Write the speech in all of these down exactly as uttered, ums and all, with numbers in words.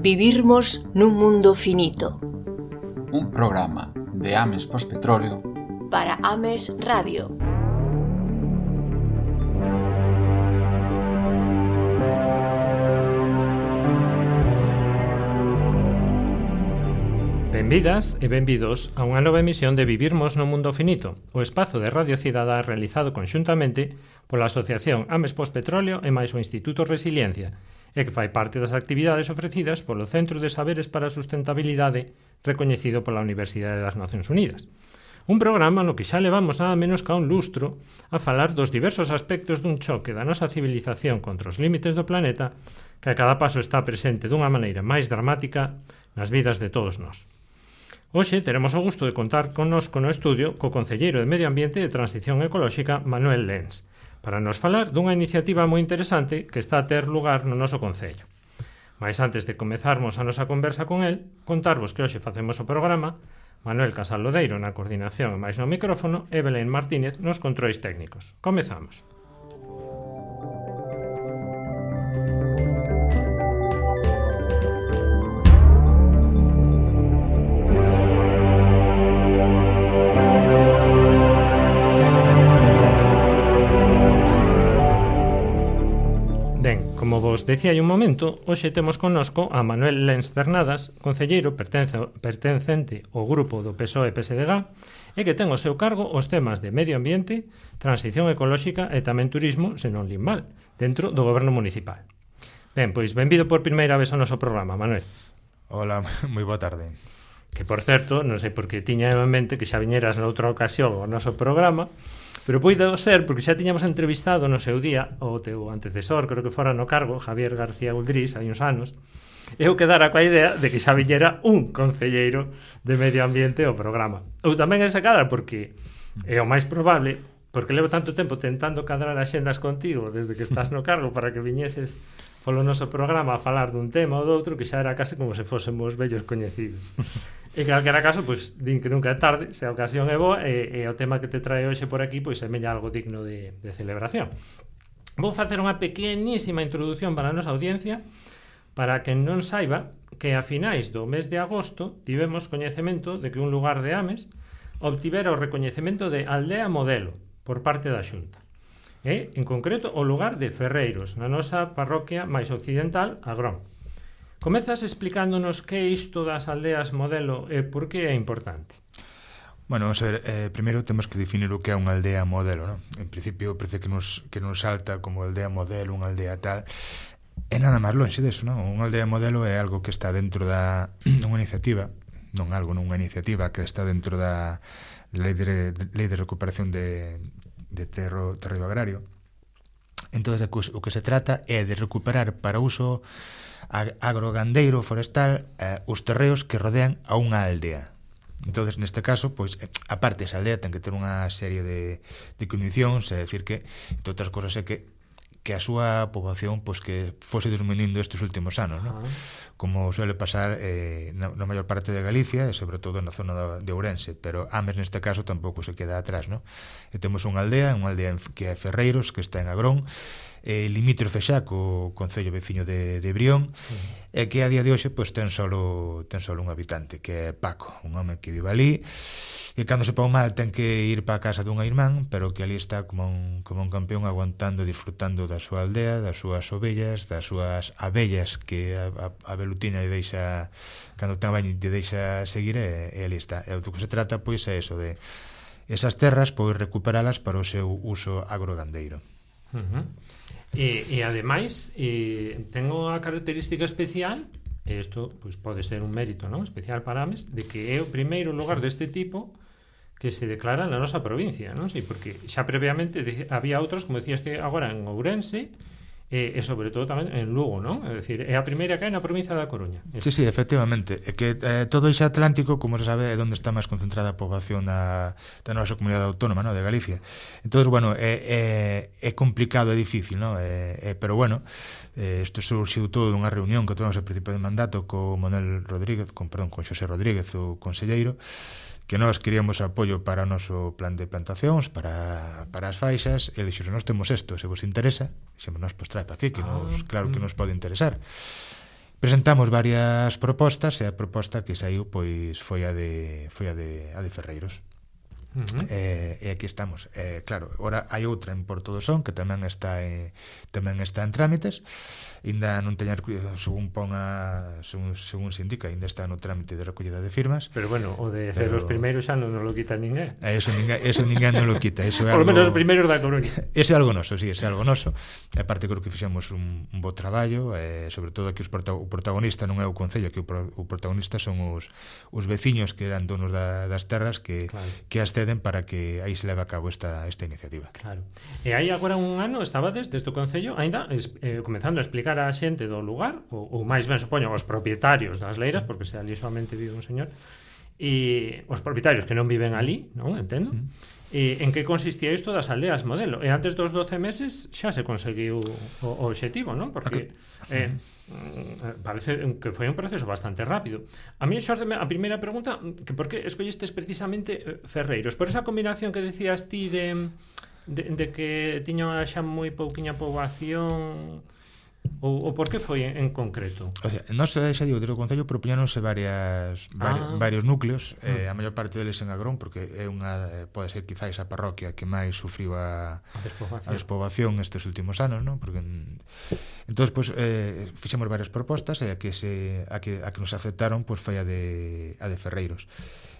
Vivirmos nun mundo finito. Un programa de Ames Pospetróleo para Ames Radio. Benvidas e benvidos a unha nova emisión de Vivirmos no mundo finito, o espazo de Radio Cidadá realizado conxuntamente pola Asociación Ames Pospetróleo e máis o Instituto Resiliencia, e que fai parte das actividades ofrecidas polo Centro de Saberes para a Sustentabilidade recoñecido pola Universidade das Nacións Unidas. Un programa no que xa levamos nada menos ca un lustro a falar dos diversos aspectos dun choque da nosa civilización contra os límites do planeta que a cada paso está presente dunha maneira máis dramática nas vidas de todos nós. Hoxe teremos o gusto de contar connosco no estudio co Concelleiro de Medio Ambiente e Transición Ecolóxica Manuel Lens, para nos falar dunha iniciativa moi interesante que está a ter lugar no noso Concello. Mais antes de comezarmos a nosa conversa con el, contarvos que hoxe facemos o programa Manuel Casal Lodeiro na coordinación e máis no micrófono e Belén Martínez nos controis técnicos. Comezamos. Como vos decía hai un momento, hoxe temos connosco a Manuel Lens Cernadas, concelleiro pertencente ao grupo do P S O E P S D G e que ten ao seu cargo os temas de medio ambiente, transición ecolóxica e tamén turismo, se non lin mal, dentro do goberno municipal. Ben, pois benvido por primeira vez ao noso programa, Manuel. Hola, moi boa tarde. Que, por certo, non sei por que tiña en mente que xa viñeras noutra ocasión ao noso programa, pero poido ser porque xa tiñamos entrevistado no seu día o teu antecesor, creo que fora no cargo, Javier García Uldrís, hai uns anos, e eu quedara coa idea de que xa viñera un concelleiro de medio ambiente ao programa. Ou tamén esa cadra, porque é o máis probable, porque levo tanto tempo tentando cadrar axendas contigo desde que estás no cargo para que viñeses polo noso programa a falar dun tema ou doutro que xa era case como se fósemos vellos coñecidos. En calquera caso, pois, din que nunca é tarde, se a ocasión é boa, e, e o tema que te trae hoxe por aquí, pois, é meña algo digno de, de celebración. Vou facer unha pequenísima introdución para a nosa audiencia, para que non saiba que a finais do mes de agosto tivemos coñecemento de que un lugar de Ames obtivera o recoñecemento de aldea modelo por parte da Xunta. E, en concreto, o lugar de Ferreiros, na nosa parroquia máis occidental, Agrón. Comezas explicándonos que é isto das aldeas modelo e por que é importante. Bueno, vamos a ver, eh, primeiro temos que definir o que é unha aldea modelo, ¿no? En principio parece que nos, que nos salta como aldea modelo, unha aldea tal, é nada máis lonxe deso, ¿no? Unha aldea modelo é algo que está dentro da unha iniciativa, non algo, non unha iniciativa que está dentro da Lei de, de, lei de recuperación de, de terro, terreo agrario. Entón, o que se trata é de recuperar para uso agrogandeiro forestal eh, os terreos que rodean a unha aldea. Entonces, neste caso, pois, aparte esa aldea ten que ter unha serie de, de condicións, é dicir que, entre outras cosas, é que que a súa poboación pois, que fose disminuindo estes últimos anos, ¿no? Como suele pasar eh, na, na maior parte de Galicia e sobre todo na zona de Ourense, pero Ames neste caso tampouco se queda atrás, ¿no? E temos unha aldea, unha aldea que é Ferreiros, que está en Agrón, eh, limítrofe xa co concello veciño de, de Brión, uh-huh. E que a día de hoxe pois, ten solo ten solo un habitante, que é Paco, un home que vive ali, e cando se pon mal ten que ir para a casa dunha irmán, pero que ali está como un, como un campeón aguantando e disfrutando da súa aldea, das súas ovellas, das súas abellas que a, a, a velutina lle deixa, cando ten baño lle deixa seguir, e, e ali está. E o que se trata pois é eso, de esas terras pois recuperalas para o seu uso agrogandeiro. Uh-huh. E, e ademais e, ten unha característica especial, e isto pois, pode ser un mérito, non, especial para Ames, de que é o primeiro lugar deste tipo que se declara na nosa provincia, non sei, porque xa previamente de, había outros, como decías agora, en Ourense e, e sobre todo tamén en Lugo, non? É dicir, é a primeira que hai na provincia da Coruña. Sí, sí, efectivamente. É que eh, todo ese Atlántico, como se sabe, é onde está máis concentrada a poboación da, da nosa comunidade autónoma, ¿no? De Galicia. Entón, bueno, é, é, é complicado, é difícil, ¿no? É, é, pero bueno, eh, isto surxiu todo dunha reunión que tivemos ao principio de mandato co Manuel Rodríguez, con, perdón, con Xosé Rodríguez, o conselleiro, que nós queríamos apoio para o noso plan de plantacións, para, para as faixas, e dixo, nós temos isto, se vos interesa, dixemos, nós, pois trae para aquí, que nos, claro que nos pode interesar. presentamos varias propostas e a proposta que saiu pois foi a de foi a de a de Ferreiros. Uh-huh. eh, e aquí estamos. Eh, claro, agora hai outra en Porto do Son que tamén está eh, tamén está en trámites. Ainda non teña, según pon a, según, según se indica, ainda está no trámite de recollida de firmas. Pero bueno, o de ser os primeiros xa non nos lo quita ninguén. Eso ninguén, eso ninguén non lo quita. Eso é Por lo algo, menos os primeiros da Coruña. Ese é algo noso, sí, ese é algo noso. E aparte creo que fixemos un, un bo traballo, eh, sobre todo que os prota, o protagonista non é o Concello, que o, pro, o protagonista son os, os veciños que eran donos da, das terras que, claro, que as ceden para que aí se leve a cabo esta, esta iniciativa. Claro. E aí agora un ano estabades desde o Concello ainda eh, comenzando a explicar a xente do lugar, ou, ou máis ben supoño os propietarios das leiras, porque se ali solamente vive un señor, e os propietarios que non viven ali, non entendo, mm. e en que consistía isto das aldeas modelo, e antes dos doce meses xa se conseguiu o, o obxectivo, non? Porque okay. eh, parece que foi un proceso bastante rápido. A mí xorde a primeira pregunta, que por que escollistes precisamente Ferreiros? Por esa combinación que decías ti de, de, de que tiña xa moi pouquiña poboación, ou, ou por que foi en, en concreto? O sea, nós xa digo, desde o Concello propoñáronse varias, vari, ah. varios núcleos, eh, a maior parte deles en Agrón, porque é unha, pode ser quizáis a parroquia que máis sufriu a, a, despoboación. a despoboación estes últimos anos, non? Porque entón, pues, eh, fixemos varias propostas e a que, se, a que, a que nos aceptaron pues, foi a de, a de Ferreiros.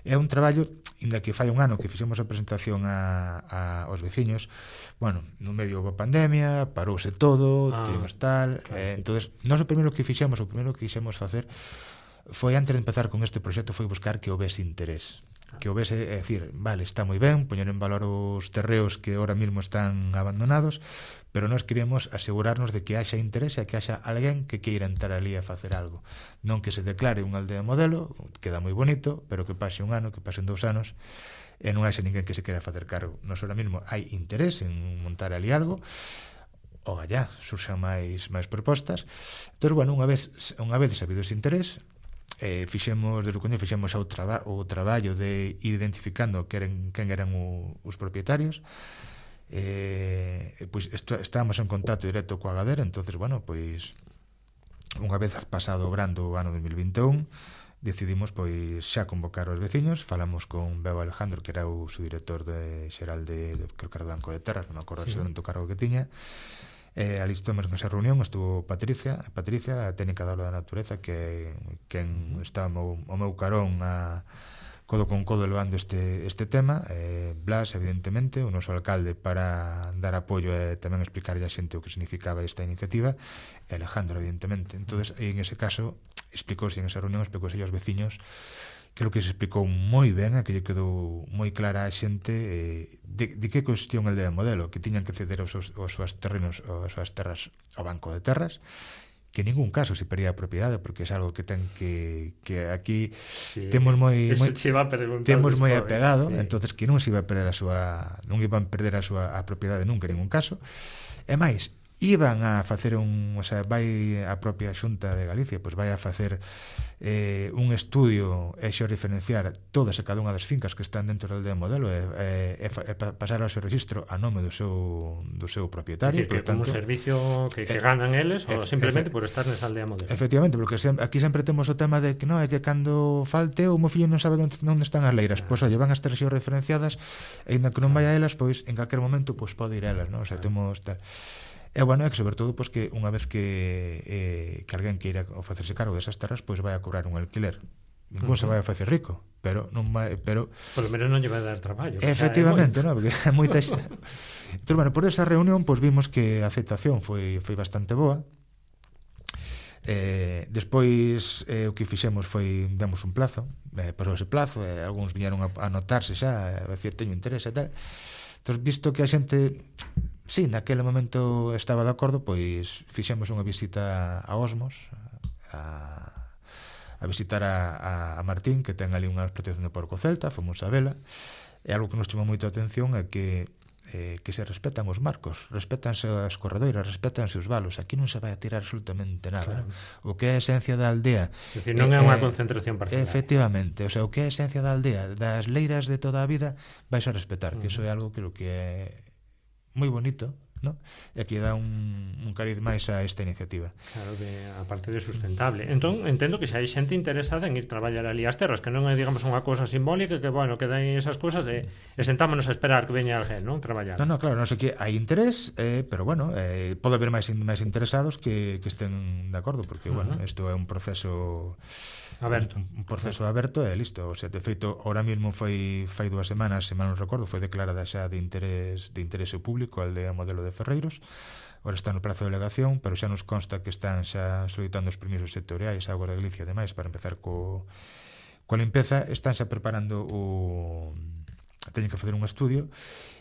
É un traballo, inda que fai un ano que fixemos a presentación a, a, aos veciños, bueno, no medio da pandemia, parouse todo, ah, tivemos tal, claro. eh, entonces, nós o primeiro que fixemos, o primeiro que quixemos facer, foi antes de empezar con este proxecto, foi buscar que houvese interés. Que houvese, é dicir, vale, está moi ben, poñer en valor os terreos que ahora mesmo están abandonados, pero nós queremos asegurarnos de que haxa interés e que haxa alguén que queira entrar ali a facer algo. Non que se declare unha aldea modelo, queda moi bonito, pero que pase un ano, que pasen dous anos, e non haxa ninguén que se queira facer cargo. Nós ahora mesmo hai interés en montar ali algo, o allá surxan máis máis propostas. Entón, bueno, unha vez unha vez sabido ese interés, eh, fixemos, desde o coño, fixemos o, traba, o traballo de ir identificando que eran, quen eran o, os propietarios. Eh, pois esto, estábamos en contacto directo coa Gadera, entonces, bueno, pois unha vez pasado o brando o ano dos mil vinte e un, decidimos pois xa convocar os veciños, falamos con Bebo Alejandro, que era o subdirector de xeral de, de creo que era do Banco de Terras, non me acordo sí. exactamente o cargo que tiña. Eh, ali estamos nesa reunión, estuvo Patricia, Patricia, a técnica da aula da natureza, que quen estaba o meu, o meu carón a codo con codo levando este, este tema, eh, Blas, evidentemente, o noso alcalde para dar apoio e tamén explicarlle a xente o que significaba esta iniciativa, e Alejandro, evidentemente. Entonces, en ese caso, explicouse en esa reunión, explicouse aos veciños, que o que se explicou moi ben, a que lle quedou moi clara a xente eh, de, de que consistía unha aldea modelo, que tiñan que ceder os seus, os seus terrenos, as súas terras ao Banco de Terras, que en ningún caso se perdía a propiedade, porque é algo que ten que, que aquí sí, temos moi, moi temos moi apegado, sí. Entonces que non se iba a perder a súa, non iban a perder a súa a propiedade nunca en ningún caso. E máis, iban a facer un, o sea, vai a propia Xunta de Galicia, pois vai a facer eh, un estudio e xo referenciar todas e cada unha das fincas que están dentro da aldea modelo e, e, e pasar ao seu registro a nome do seu, do seu propietario. É dicir, que como un servicio que, que eh, ganan eles ou simplemente por estar nesa aldea modelo. Efectivamente, porque sempre, aquí sempre temos o tema de que non é que cando falte o meu fillo non sabe onde, onde están as leiras, pois oye, van a estar xo referenciadas e ainda que non vai a elas, pois en calquer momento pois pode ir a elas, non? O sea, temos tal. E bueno, é que sobre todo pois, que unha vez que eh, que alguén queira facerse cargo desas terras, pois vai a cobrar un alquiler. Ningún uh-huh. se vai a facer rico, pero non vai, pero por lo menos non lle vai dar traballo. Efectivamente, non, porque é moita xa. Entón, bueno, por esa reunión pois vimos que a aceptación foi foi bastante boa. Eh, despois eh, o que fixemos foi demos un plazo, eh, pasou ese plazo, e eh, algúns viñeron a, a notarse xa, a decir, teño interés e tal. Entón, visto que a xente sí, naquele momento estaba de acordo, pois fixemos unha visita a Osmos, a, a visitar a, a Martín, que ten ali unha explotación de porco celta, fomos a vela, e algo que nos chamou moito a atención é que eh, que se respetan os marcos, respetanse as corredoiras, respetanse os valos, aquí non se vai a tirar absolutamente nada, claro. ¿No? O que é a esencia da aldea, é dicir, non é unha concentración parcial. Efectivamente, o sea, o que é a esencia da aldea, das leiras de toda a vida, vais a respetar, uh-huh. que iso é algo que, que é moi bonito, ¿no? E que dá un, un cariz máis a esta iniciativa. Claro, de, a parte de sustentable. Entón, entendo que xa hai xente interesada en ir traballar ali as terras, que non é, digamos, unha cousa simbólica, que, bueno, que dan esas cousas e, e sentámonos a esperar que veña alguén, non? Traballar. Non, non, claro, non sei que hai interés, eh, pero, bueno, eh, pode haber máis, máis interesados que, que estén de acordo, porque, uh-huh. bueno, isto é un proceso aberto. Un, un proceso aberto e listo. O sea, de feito, ahora mesmo foi fai dúas semanas, se mal non recordo, foi declarada xa de interés de interese público a aldea modelo de Ferreiros. Ahora está no prazo de delegación, pero xa nos consta que están xa solicitando os permisos sectoriais, a Agua de Galicia e demais, para empezar co, coa limpeza. Están xa preparando o... teñen que facer un estudio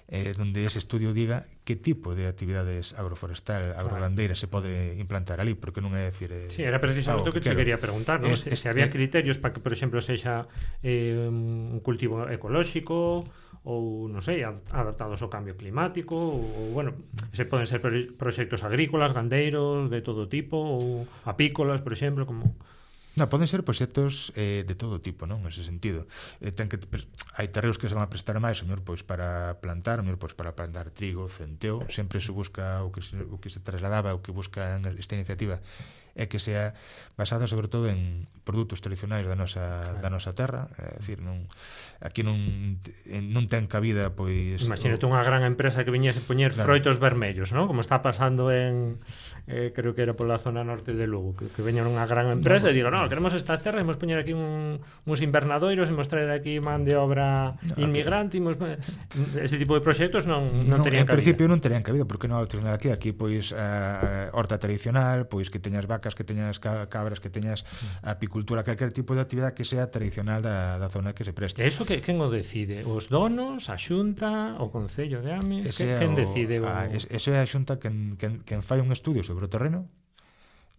eh, donde ese estudio diga que tipo de actividades agroforestal, agrogandeira se pode implantar ali, porque non é decir... Eh, sí, era precisamente o que te quería preguntar, ¿no? Es, se, es, se había eh, criterios para que, por exemplo, sexa eh, un cultivo ecolóxico ou, non sei, adaptados ao cambio climático ou, bueno, se poden ser proxectos agrícolas, gandeiros, de todo tipo, ou apícolas, por exemplo, como... No, poden ser proxectos eh, de todo tipo, non? Nese sentido. Eh, ten que hai terreos que se van a prestar máis, o mellor pois para plantar, o mellor pois para plantar trigo, centeo, sempre se busca o que se, o que se trasladaba, o que busca esta iniciativa é que sea basada sobre todo en produtos tradicionais da nosa claro. da nosa terra, é dicir, non aquí non non ten cabida pois imagínate o... unha gran empresa que viñese poñer claro. froitos vermellos, ¿no? Como está pasando en eh, creo que era pola zona norte de Lugo, que, que veñan unha gran empresa no, e digan, no, queremos estas terras, imos poñer aquí un, uns invernadoiros, imos traer aquí man de obra no, inmigrante, imos... ese tipo de proxectos non, non, non terían cabida. En principio non terían cabida, porque non hai aquí, aquí pois a uh, horta tradicional, pois que teñas vacas, que teñas cabras, que teñas apicultura, calquer tipo de actividade que sea tradicional da, da zona que se preste. E iso que quen o decide? Os donos, a Xunta, o Concello de Ames? Que, quen decide? O... A, ese é a Xunta quen, quen, quen fai un estudio sobre o terreno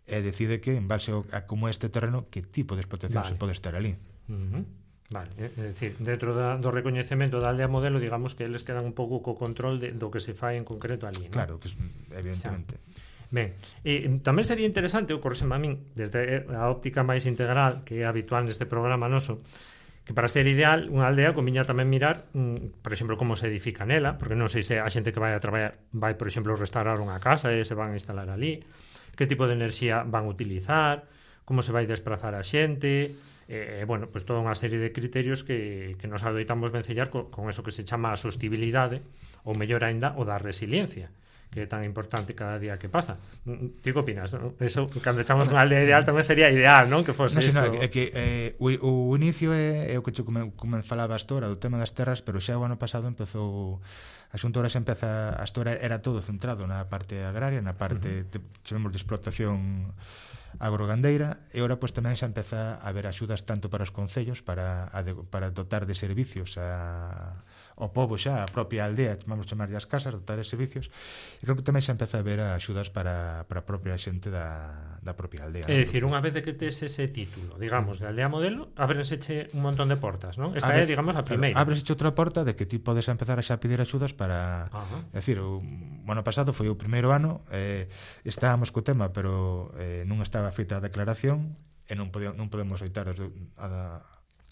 e decide que, en base a como este terreno, que tipo de explotación vale. se pode estar ali. Uh-huh. Vale, é dicir, dentro da, do recoñecemento da aldea modelo, digamos que eles quedan un pouco co control de, do que se fai en concreto ali, ¿no? Claro, que evidentemente. Xa. Ben, e tamén sería interesante, o correseme a min, desde a óptica máis integral que é habitual neste programa noso, que para ser ideal unha aldea conviña tamén mirar, mm, por exemplo, como se edifica nela, porque non sei se a xente que vai a traballar vai, por exemplo, restaurar unha casa e se van a instalar ali, que tipo de enerxía van a utilizar, como se vai desplazar a xente, e, eh, bueno, pues toda unha serie de criterios que, que nos adoitamos vencellar con, con eso que se chama a sostibilidade, ou mellor aínda, o da resiliencia, que é tan importante cada día que pasa. Ti que opinas? ¿No? Eso, cando echamos unha aldea ideal tamén sería ideal, non? Que fose no, isto. No, é que eh, o, o inicio é, é o que che como, como falaba Astora, do tema das terras, pero xa o ano pasado empezou a Xunta xa empeza, a Astora era todo centrado na parte agraria, na parte, uh-huh. de, chamemos de explotación agrogandeira, e ora pois tamén xa empeza a haber axudas tanto para os concellos para, a de, para dotar de servicios a o pobo xa, a propia aldea, vamos chamar as casas, dotar de servicios, e creo que tamén xa empeza a haber axudas para, para a propia xente da, da propia aldea. É dicir, unha vez de que tes ese título, digamos, de aldea modelo, ábrenseche un montón de portas, non? Esta é, digamos, a primeira. Ábrenseche outra porta de que ti podes empezar a xa pedir axudas para... É dicir, o ano pasado foi o primeiro ano, eh, estábamos co tema, pero eh, non estaba feita a declaración, e non, podemos, non podemos oitar desde a...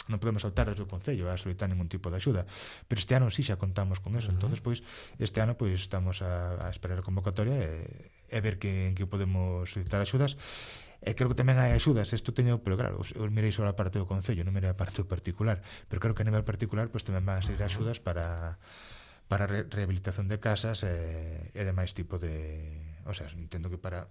non podemos optar desde o Concello a solicitar ningún tipo de axuda, pero este ano sí xa contamos con eso. Uh-huh. Entonces, pois, este ano pois estamos a, a esperar a convocatoria e, e ver que, en que podemos solicitar axudas. E creo que tamén hai axudas, isto teño, pero claro, eu mirei só a parte do Concello, non mirei a parte do particular, pero creo que a nivel particular pois tamén van a ser axudas para para re- rehabilitación de casas e, e demais tipo de, o sea, entendo que para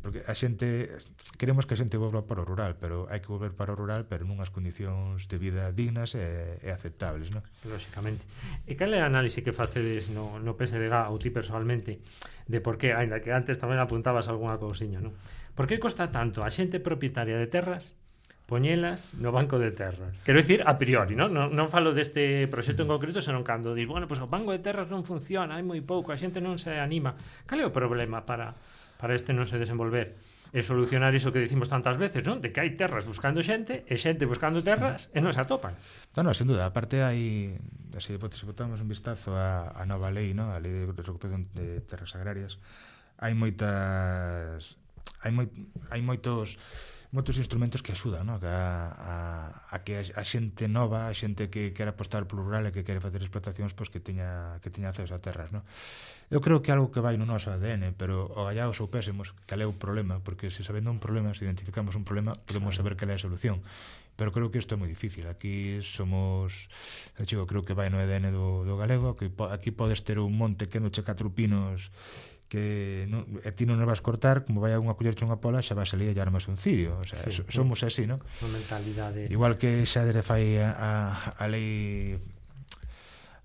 porque a xente, queremos que a xente volva para o rural, pero hai que volver para o rural, pero nunhas condicións de vida dignas e, e aceptables, non? Lóxicamente. E cal é a análise que facedes no, no P S D G ou ti personalmente de por que, ainda que antes tamén apuntabas algunha cousiña, non? Por que costa tanto a xente propietaria de terras poñelas no banco de terras? Quero dicir, a priori, non? Non, non falo deste proxecto en concreto, senón cando dis, bueno, pois pues, o banco de terras non funciona, hai moi pouco, a xente non se anima. Cal é o problema para... para este non se desenvolver e solucionar iso que dicimos tantas veces, non? De que hai terras buscando xente e xente buscando terras e non se atopan. Non, non, sin duda, aparte hai, se botamos un vistazo a, a nova lei, non? A lei de recuperación de terras agrarias, hai moitas hai moi, hai moitos moitos instrumentos que axudan, no? Que a, a, a que a, a xente nova, a xente que quere apostar polo rural e que quere facer explotacións, pois que teña que teña acceso a terras, no? Eu creo que é algo que vai no noso A D N, pero o gallaos ou pésemos, cal é o problema, porque se sabendo un problema, se identificamos un problema, podemos saber cal é a solución. Pero creo que isto é moi difícil. Aquí somos, eu creo que vai no A D N do, do galego, que po, aquí podes ter un monte que noche catro pinos que non, e ti non nos vas cortar, como vai a unha collerche unha pola, xa vas salir e armas un cirio, o sea, sí, so, somos así, non? Unha mentalidade. Igual que xa desde fai a, a, a lei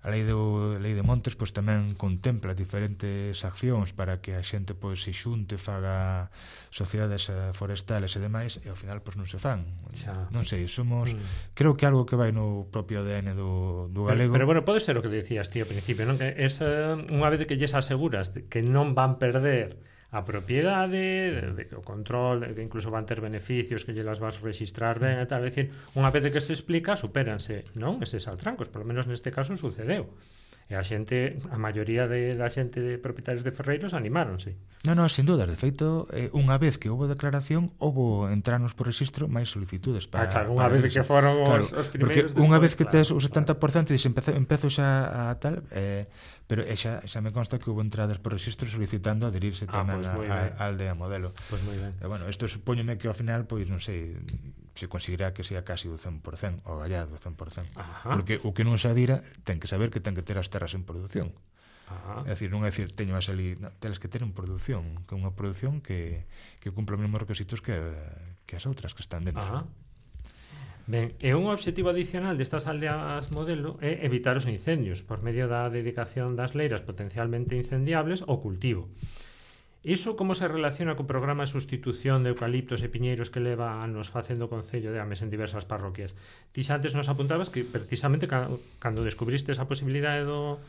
a lei do lei de montes, pois tamén contempla diferentes accións para que a xente pois se xunte, faga sociedades forestales e demais, e ao final pois non se fan. Xa. Non sei, somos mm. creo que algo que vai no propio A D N do, do galego. Pero, pero bueno, pode ser o que decías ti ao principio, non? Que es unha vez que lles aseguras que non van perder a propiedade, de, de, o control, de que incluso van ter beneficios que lle las vas registrar ben e tal, é dicir, unha vez que se explica, supéranse, non? Eses altrancos, polo menos neste caso sucedeu. E a xente, a maioría de, da xente de propietarios de ferreiros animáronse. Non, non, sin dúdas, de feito, eh, unha vez que houve declaración, houve entrarnos por registro máis solicitudes para... Ah, claro, unha vez que foron claro, os, os primeiros... Porque unha vez que claro, tes o setenta por cento e dixes, empezo, empezo xa a tal, eh, pero eh, xa, xa me consta que houve entradas por registro solicitando adherirse ah, tamén pues a, a, a aldea modelo. Pois pues moi ben. E, bueno, isto supóñome que ao final, pois, non sei, se conseguirá que sea casi o cen por cento, o gallado o cen por cento. Ajá. Porque o que non se adira ten que saber que ten que ter as terras en produción. Ajá. É dicir, non é dicir, teño a salir, no, teles que ter en produción, que é unha produción que, que cumpla os mesmos requisitos que, que as outras que están dentro. Ajá. Ben, e un obxectivo adicional destas aldeas modelo é evitar os incendios por medio da dedicación das leiras potencialmente incendiables ao cultivo. Iso como se relaciona co programa de sustitución de eucaliptos e piñeiros que leva anos facendo o Concello de Ames en diversas parroquias? Ti xa antes nos apuntabas que precisamente cando descubriste esa posibilidade do,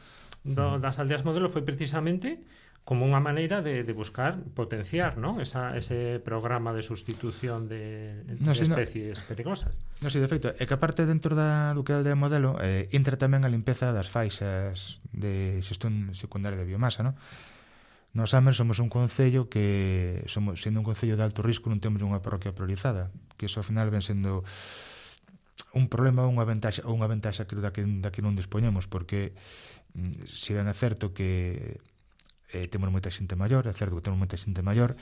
do, das aldeas modelo foi precisamente como unha maneira de, de buscar potenciar, ¿no? Esa, ese programa de sustitución de, de no, si especies no, perigosas. No, si, de feito, é que aparte dentro da, do que é a aldea modelo eh, entra tamén a limpeza das faixas de xestión secundaria de biomasa, ¿no? Nos Ames somos un concello que, somos, sendo un concello de alto risco, non temos unha parroquia priorizada, que iso ao final ven sendo un problema ou unha ventaxa, ou unha ventaxa que da que, da que non dispoñemos, porque se ben é certo que eh, temos moita xente maior, é certo que temos moita xente maior,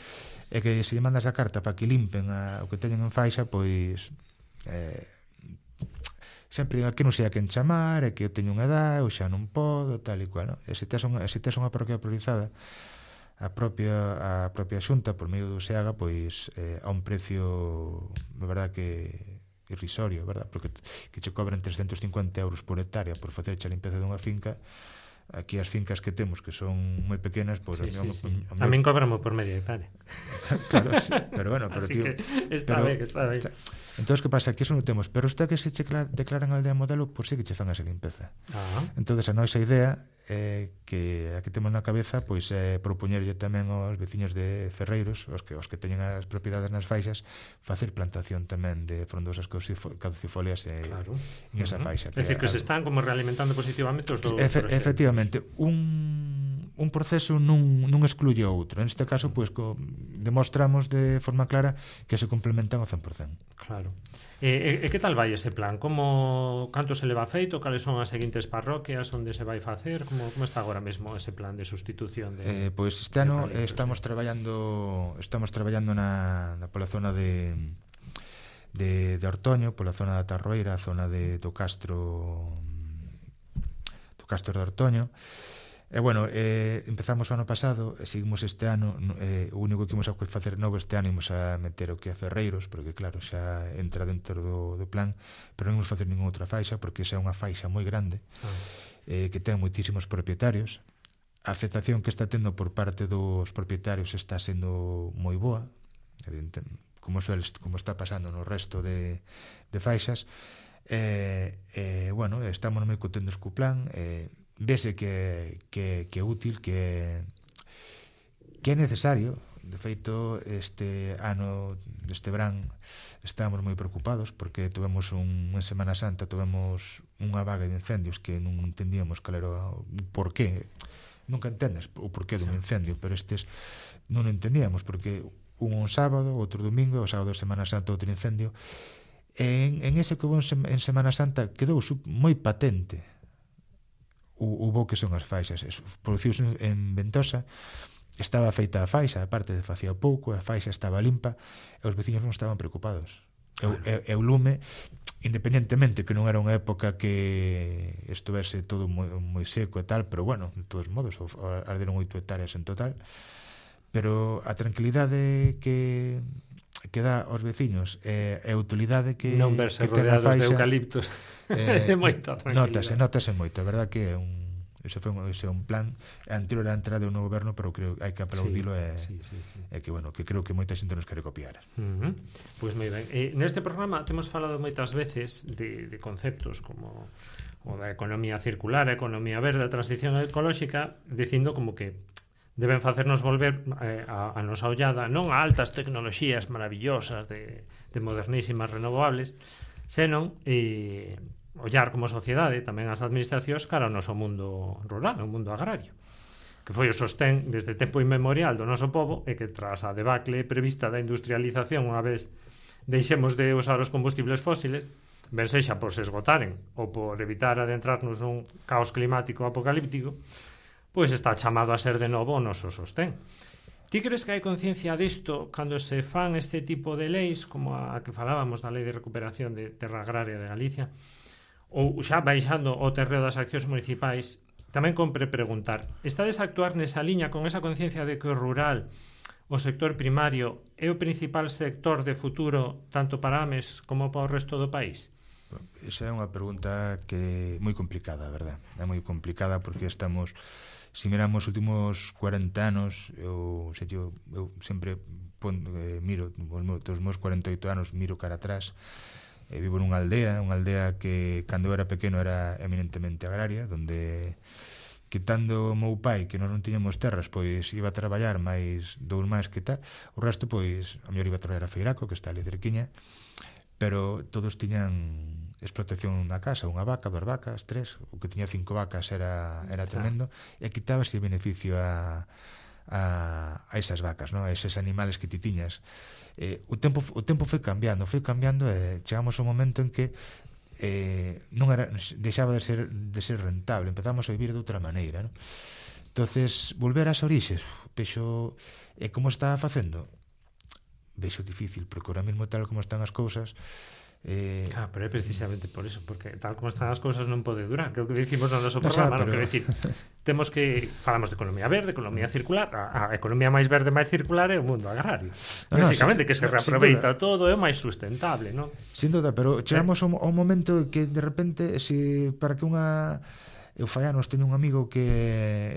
e que se lle mandas a carta para que limpen a, o que teñen en faixa, pois eh, sempre digo que non sei a quen chamar, e que eu teño unha edad, ou xa non podo, tal e cual, no? E se tes unha, se tes unha parroquia priorizada, a propia a propia xunta por medio do SEAGA, pois eh, a un precio, na verdad que irrisorio, verdad? Porque que che cobran trescentos cincuenta euros por hectárea por facerche a limpeza dunha finca. Aquí as fincas que temos que son moi pequenas, pois sí, a, sí, sí. a, a, a min cobramos por media hectárea. Claro, sí, pero bueno, pero así tío, que está pero, ben, está ben. Entonces, que pasa? Que eso non temos, pero está que se che declaran aldea modelo, por si que che fan esa limpeza. Ah. Entonces, a nosa idea é que a que temos na cabeza, pois é propoñerlle tamén aos veciños de Ferreiros, os que os que teñen as propiedades nas faixas, facer plantación tamén de frondosas caducifolias e, claro. en esa faixa. É dicir, que, que se están como realimentando positivamente os dous. Efe, efectivamente, un, un proceso non, non excluye outro. En este caso, pois, co, demostramos de forma clara que se complementan ao cen por cento. Claro. E, e que tal vai ese plan? Como, canto se leva feito? Cales son as seguintes parroquias onde se vai facer? Como, como está agora mesmo ese plan de sustitución? De, eh, pois pues este ano estamos traballando estamos traballando na, na pola zona de de, de Ortoño, pola zona da Tarroeira, a zona de do Castro do Castro de Ortoño. E bueno, eh, empezamos o ano pasado e seguimos este ano, eh, o único que imos a facer novo este ano imos a meter o que é Ferreiros, porque claro, xa entra dentro do, do plan, pero non imos facer ninguna outra faixa, porque xa é unha faixa moi grande, ah. eh, que ten moitísimos propietarios. A aceptación que está tendo por parte dos propietarios está sendo moi boa, como, suele, como está pasando no resto de, de faixas. E, eh, bueno, estamos moi contentos co plan, eh, vese que, que, que é útil, que, que é necesario. De feito, este ano, este verán, estábamos moi preocupados porque tuvemos un, en Semana Santa tuvemos unha vaga de incendios que non entendíamos cal era o porqué. Nunca entendes o porqué dun incendio, pero estes non o entendíamos porque un un sábado, outro domingo, o sábado de Semana Santa outro incendio. En, en ese que houve en Semana Santa quedou moi patente o, o bo que son as faixas. Produciuse en Ventosa, estaba feita a faixa, aparte de facía pouco, a faixa estaba limpa e os veciños non estaban preocupados. E o lume, independentemente que non era unha época que estuvese todo moi, moi seco e tal, pero bueno, de todos modos arderon oito hectáreas en total, pero a tranquilidade que que dá aos veciños e a utilidade que non verse que ten a rodeados faixa, de eucaliptos eh, é moita tranquilidade. Notase, notase moito, a verdad que é un ese foi un, ese un plan anterior á entrada do novo goberno, pero creo que hai que aplaudilo e sí, sí, sí, sí. é que bueno, que creo que moita xente nos quere copiar. Uh -huh. Pois moi ben. Eh, neste programa temos falado moitas veces de, de conceptos como o da economía circular, a economía verde, a transición ecolóxica, dicindo como que deben facernos volver eh, a, a nosa ollada non a altas tecnoloxías maravillosas de, de modernísimas renovables, senón eh, ollar como sociedade tamén as administracións cara ao noso mundo rural, ao mundo agrario, que foi o sostén desde tempo inmemorial do noso pobo e que tras a debacle prevista da industrialización unha vez deixemos de usar os combustibles fósiles, ben sexa por se esgotaren ou por evitar adentrarnos nun caos climático apocalíptico, pois está chamado a ser de novo o noso sostén. Ti crees que hai conciencia disto cando se fan este tipo de leis como a que falábamos da Lei de Recuperación de Terra Agraria de Galicia, ou xa baixando o terreo das accións municipais? Tamén compre preguntar, estades a actuar nesa liña con esa conciencia de que o rural, o sector primario, é o principal sector de futuro tanto para Ames como para o resto do país? Esa é unha pregunta que é moi complicada, a verdad. É moi complicada porque estamos, se miramos os últimos cuarenta anos, eu, sei, eu, eu sempre pon, eh, miro, dos meus cuarenta e oito anos, miro cara atrás. Eh, vivo nunha aldea, unha aldea que cando era pequeno era eminentemente agraria, donde quitando o meu pai, que nós non tiñamos terras, pois iba a traballar máis dous máis que tal, o resto, pois, a mellor iba a traballar a Feiraco, que está ali cerquiña, pero todos tiñan explotación na casa, unha vaca, dúas vacas, tres, o que tiña cinco vacas era, era tremendo, e quitábase o beneficio a, a, a esas vacas, ¿no? A eses animales que ti tiñas. Eh, o tempo o tempo foi cambiando, foi cambiando e chegamos ao momento en que eh, non era, deixaba de ser de ser rentable, empezamos a vivir de outra maneira, ¿no? Entonces, volver ás orixes, vexo, e como está facendo? Vexo difícil, porque ahora mesmo tal como están as cousas, Eh, claro, pero é precisamente por eso, porque tal como están as cousas non pode durar, que é o que dicimos no noso programa, no, pero... no? Quero dicir, temos que falamos de economía verde, economía circular, a, a economía máis verde, máis circular é o mundo agrario. No, basicamente, no, que se reaproveita todo, é o máis sustentable, non? Sin duda, pero chegamos eh. ao, ao momento que de repente, se para que unha eu fai anos teño un amigo que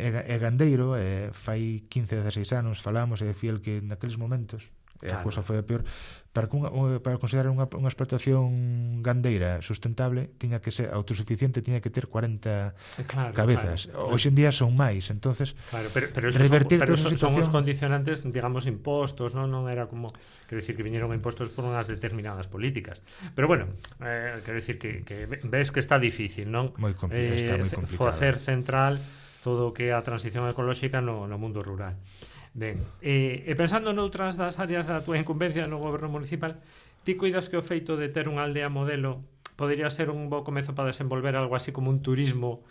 é, é gandeiro, e fai quince, dezasseis anos falamos e decía el que naqueles momentos e a cousa foi a peor, para, que unha, para considerar unha, unha explotación gandeira sustentable tiña que ser autosuficiente, tiña que ter cuarenta claro, cabezas, claro, hoxe en día son máis, entonces claro, pero, pero eso revertir son, pero son, situación... son os condicionantes, digamos, impostos, non non era como, quero dicir que viñeron impostos por unhas determinadas políticas, pero bueno, eh, quero dicir que, que ves que está difícil, non? Moi complicado, eh, está moi complicado. Facer central todo o que é a transición ecolóxica no, no mundo rural. Ben, e, e pensando noutras das áreas da túa incumbencia no goberno municipal, ti cuidas que o feito de ter unha aldea modelo podería ser un bo comezo para desenvolver algo así como un turismo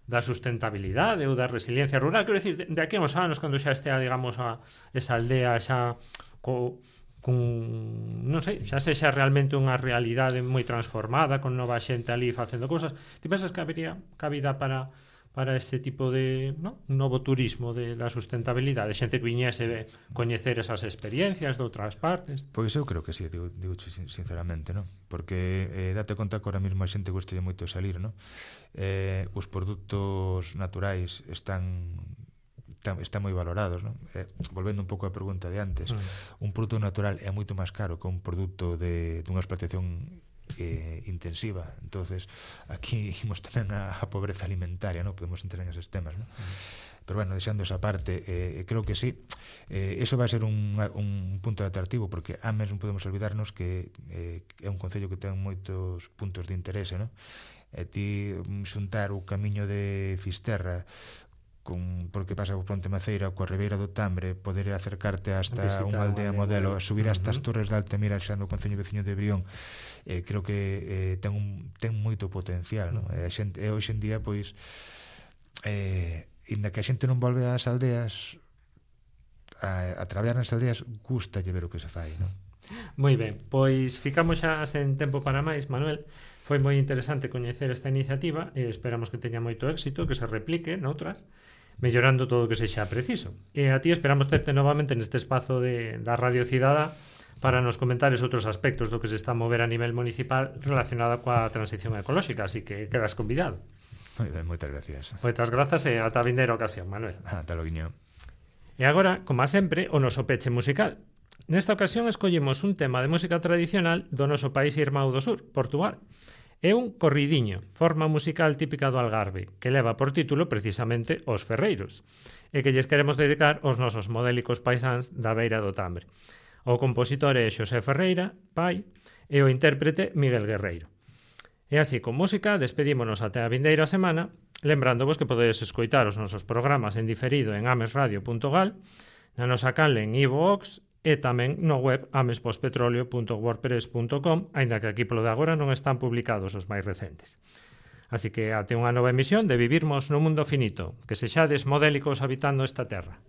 da sustentabilidade ou da resiliencia rural? Quero dicir, de, de aquí a uns anos, cando xa estea, digamos, a esa aldea xa co, con, non sei, xa sexa realmente unha realidade moi transformada, con nova xente ali facendo cousas, ti pensas que habería cabida para... para este tipo de, ¿no? un novo turismo de la sustentabilidade, xente que viñese coñecer esas experiencias de outras partes? Pois eu creo que sí, digo, digo sinceramente, ¿no? Porque eh, date conta que ahora mesmo a xente gostalle moito salir, ¿no? Eh, os produtos naturais están están moi valorados, ¿no? Eh, volvendo un pouco á pregunta de antes, mm. un produto natural é moito máis caro que un produto de dunha explotación Eh, intensiva, entonces aquí imos tamén a, a pobreza alimentaria, non podemos entrar en esos temas, non? Mm. Pero bueno, deixando esa parte, eh, creo que sí, eh, eso vai ser un, un punto de atractivo, porque a mes non podemos olvidarnos que eh, é un concello que ten moitos puntos de interese, non? E ti xuntar o camiño de Fisterra con, porque pasa por Ponte Maceira, coa Ribeira do Tambre, poder acercarte hasta Visitar unha aldea modelo, subir hasta as uh-huh. Torres de Altamira xa no concello veciño de Brión, eh, creo que eh, ten, un, ten moito potencial, uh-huh. no? E, a xente, e hoxe en día, pois, eh, inda que a xente non volve ás aldeas, a, a traballar nas aldeas, gusta lle ver o que se fai, non? Moi ben, pois ficamos xa sen tempo para máis, Manuel. Foi moi interesante coñecer esta iniciativa e esperamos que teña moito éxito, que se replique noutras, mellorando todo o que sexa preciso. E a ti esperamos terte novamente neste espazo de, da Radio Cidadá para nos comentar esos outros aspectos do que se está a mover a nivel municipal relacionado coa transición ecolóxica, así que quedas convidado. Moi ben, moitas gracias. Moitas grazas e ata a vindeira ocasión, Manuel. Ata loguiño. E agora, como a sempre, o noso peche musical. Nesta ocasión escollimos un tema de música tradicional do noso país irmão do sur, Portugal. É un corridiño, forma musical típica do Algarve, que leva por título precisamente Os Ferreiros, e que lles queremos dedicar aos nosos modélicos paisáns da beira do Tambre. O compositor é Xosé Ferreira, pai, e o intérprete Miguel Guerreiro. E así, con música, despedímonos até a vindeira semana, lembrándovos que podedes escoitar os nosos programas en diferido en amesradio punto gal, na nosa canle en iVoox e tamén no web amespospetroleo punto wordpress punto com, aínda que aquí polo de agora non están publicados os máis recentes. Así que até unha nova emisión de Vivirmos no Mundo Finito, que sexades modélicos habitando esta terra.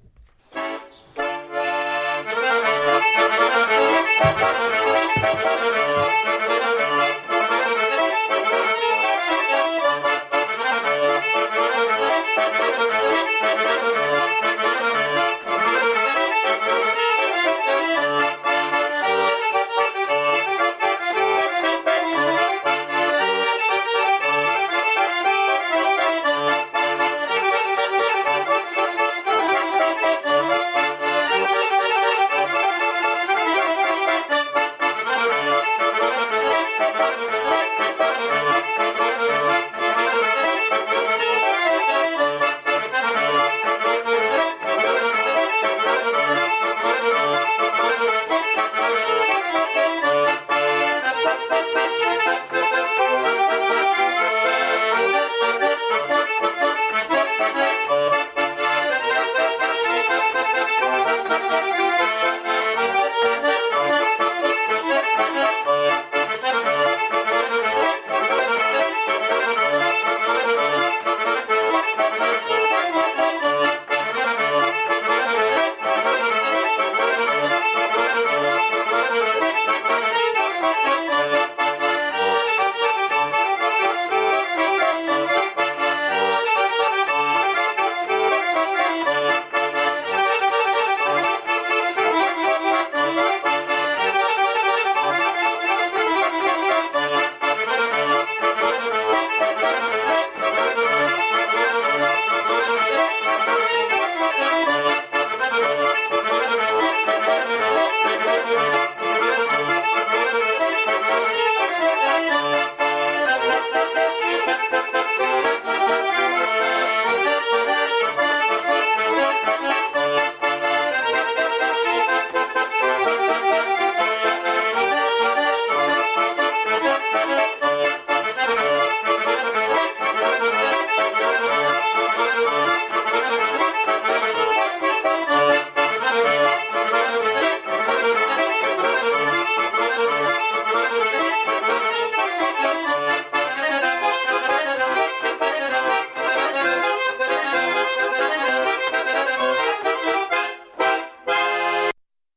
Thank you.